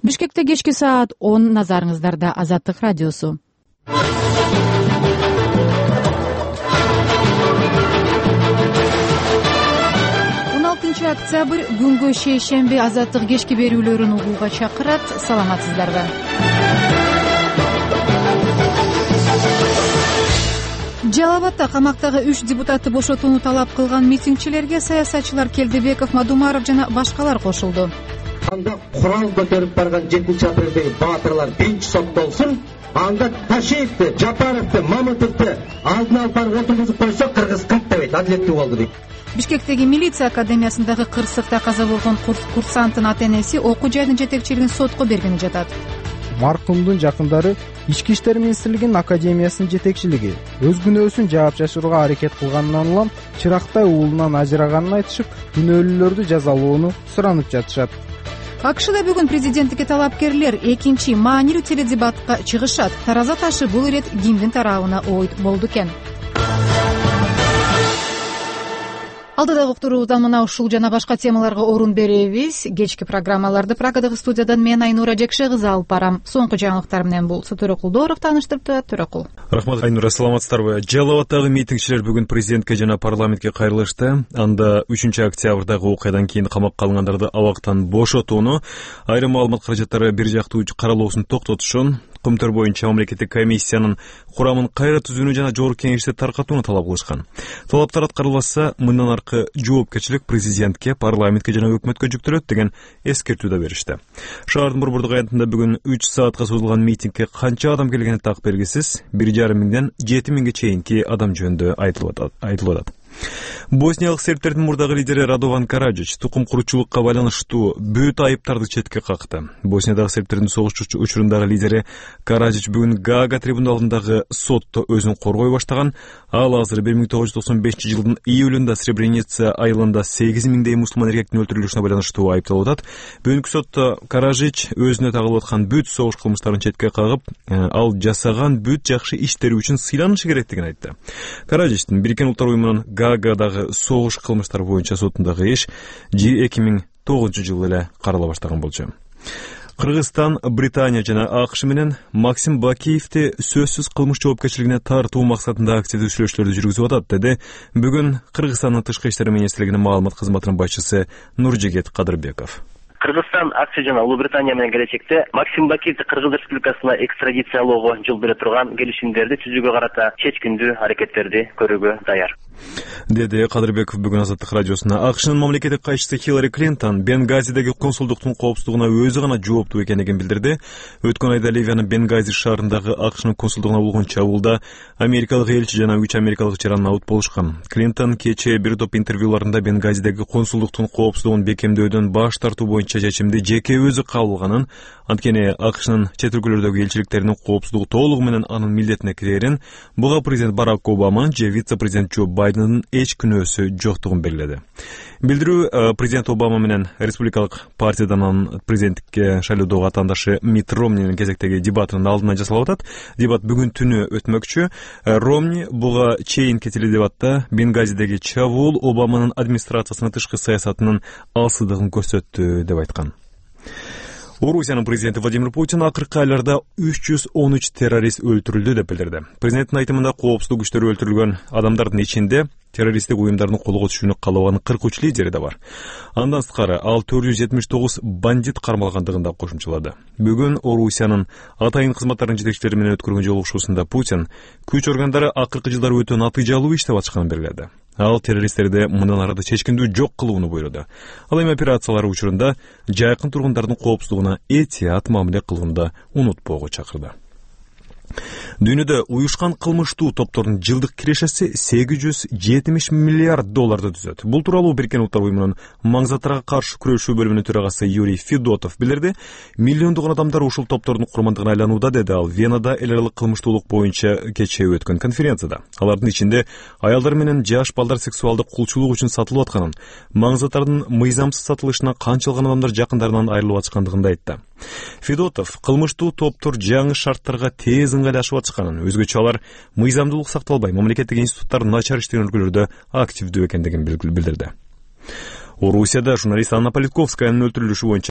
Бишкекте кечки саат 10, назарыңыздарда Азаттык радиосу. 16 октябрь күнгө шейшемби Азаттык кечки берүүлөрүн угууга чакырат. Саламатсыздарбы? Жалал Абадда камактагы 3 депутатты бошотууну талап кылган митингчилерге саясатчылар Келдебеков, Мадумаров жана башкалар кошулду. Анда курал көтөрүп барган 7-апрелдеги баатырлар биринчи соттолсун. Анда Ташиевди, Жапаровду, Мамытовду алдын алып барып отургузуп койсо кыргыз каттабайт, адилеттүү болду дейт. Бишкектеги милиция академиясындагы кырсыкта каза болгон курсанттын ата-энеси окуу жайдын жетекчилигин сотко бергени жатат. Маркумдун жакындары Ички иштер министрлигинин академиясынын жетекчилиги өз күнөөсүн жаап жашырууга аракет кылганынан улам чырактай уулунан ажыраганын айтышып, күнөөлүүлөрдү жазалоону суранып жатышат. АКШда бүгүн президенттикке талапкерлер экинчи маанилүү теледебатка чыгышат. Тараза ташы бул ирет кимдин тарабына ой болду экен? Алдыдагы уктуруубуздан мына ушул жана башка темаларга орун беребиз. Кечки программаларды Прагадагы студиядан мен Айнура Жекше кызы алып барам. Соңку жаңылыктар менен бул Төрөкулдоров тааныштырды. Төрөкул. Рахмат, Айнура, саламатсыздарбы? Жалал Абаддагы митингчилер бүгүн президентке жана парламентке кайрылышты. Анда 3 октябрдагы окуядан кийин камакка алынгандарды абактан бошотууну, айрым маалымат каражаттары бир жактуу каралуусун токтотушун, Көмтөр боюнча мамлекеттик комиссиянын курамын кайра түзүүнү жана жогорку кеңешти таркатууну талап кылышкан. Талаптар аткарылбаса, мындан аркы жоопкерчилик президентке, парламентке жана өкмөткө жүктөлөт деген эскертүү да беришти. Шаардын борбордук аянтында бүгүн 3 саатка созулган митингге канча адам келгени так белгисиз. 1,5 миңден 7 миңге чейинки адам жөнүндө айтылып атат. Босниялык сербтердин мурдагы лидери Радован Караджич тукум куручулукка байланыштуу бүт айыптарды четке какты. Босниядағы сербтердин согуш учурундагы лидери Караджич бүгүн Гаага трибуналындагы сотто өзүн коргой баштаган. Ал азыр 1995 жылдын июлунда Сребреница айылында 8 миңдей мусулман эркектин өлтүрүлүшүнө байланыштуу айыпталып атат. Бүгүнкү сотто Караджич өзүнө тагылып аткан бүт согуш кылмыштарын четке кагып, ал жасаган бүт жакшы иштери үчүн сыйланышы керектигин айтты. Караджичтин Бириккен Улуттар уюмунун Гаагадагы согуш кылмыштары боюнча сотундагы иш 2009 жылы эле карала баштаган болчу. Кыргызстан, Британия жана АКШ менен Максим Бакиевди сөзсүз кылмыш жоопкерчилигине тартуу максатында активдүү сүйлөшүүлөрдү жүргүзүп атат, деди бүгүн Кыргызстандын тышкы иштер министрлигинин маалымат кызматынын башчысы Нуржигет Кадырбеков. Кыргызстан, АКШ жана Улуу Британия менен келечекте Максим Бакиевди Кыргыз Республикасына экстрадициялоого жол бере турган келишимдерди түзүүгө карата чечкиндүү аракеттерди көрүүгө даяр, деди Кадырбеков бүгүн Азаттык радиосуна. АКШнын мамлекеттик кайчысы Хиллари Клинтон Бенгазидеги консулдуктун коопсуздугуна өзү гана жооптуу экендигин билдирди. Өткөн айда Ливиянын Бенгази шаарындагы АКШнын консулдугуна болгон чабуулда америкалык элчи жана 3 америкалык жаран абут болушкан. Клинтон кечээ бир топ интервьюларында Бенгазидеги консулдуктун коопсуздугун бекемдөөдөн баш тартуу боюнча чечимди жеке өзү кабыл алганын, анткени АКШнын чет өлкөлөрдөгү элчиликтеринин коопсуздугу толугу менен анын милдетине кирерин, буга президент Барак Обама же вице-президент Джо Байдендин эч күнөөсү жоктугун белгиледи. Билдирүү президент Обама менен республикалык партиядан анын президенттикке шайлоодогу атаандашы Митт Ромнинин кезектеги дебатынын алдына жасалып атат. Дебат бүгүн түнү өтмөкчү. Ромни буга чейинки теледебатта Бенгазидеги чабуул Обаманын администрациясынын тышкы саясатынын алсыздыгын көрсөттү деп айткан. Орусиянын президенти Владимир Путин акыркы айларда 313 террорист өлтүрүлдү деп билдирди. Президенттин айтымында коопсуздук күчтөрү өлтүрүлгөн адамдардын ичинде террористтик уюмдардын колго түшүүнү каалабаган 43 лидери да бар. Андан сырткары ал 479 бандит кармалгандыгын да кошумчалады. Бүгүн Орусиянын атайын кызматтарынын жетекчилери менен өткөргөн жолугушуусунда Путин күч органдары акыркы жылдары өтө натыйжалуу иштеп атканын белгиледи. Ал террористтерди мындан ары чечкиндүү жок кылууну буйруду. Ал эми операциялар учурунда жайкын тургундардын коопсуздугуна этият мамиле кылууну унутпоого чакырды. Дүйнөдө уюшкан кылмыштуу топтордун жылдык кирешеси $870 миллиард түзөт. Бул тууралуу Бириккен Улуттар уюмунун маңзаттарга каршы күрөшүү бөлүмүнүн төрагасы Юрий Федотов билдирди. Миллиондогон адамдар ушул топтордун курмандыгына айланууда, деди ал Венада эл аралык кылмыштуулук боюнча кечээ өткөн конференцияда. Алардын ичинде аялдар менен жаш балдар сексуалдык кулчулук үчүн сатылып атканын, маңзаттардын мыйзамсыз сатылышына канчалык адамдар жакындарынан айрылып аткандыгын да айтты. Федотов кылмыштуу топтор жаңы шарттарга тез ыңгайлашып атканын, өзгөчө алар мыйзамдуулук сакталбай, мамлекеттик институттар начар иштеген өлкөлөрдө активдүү экендигин билдирди. Орусияда журналист Анна Политковскаянын өлтүрүлүшү боюнча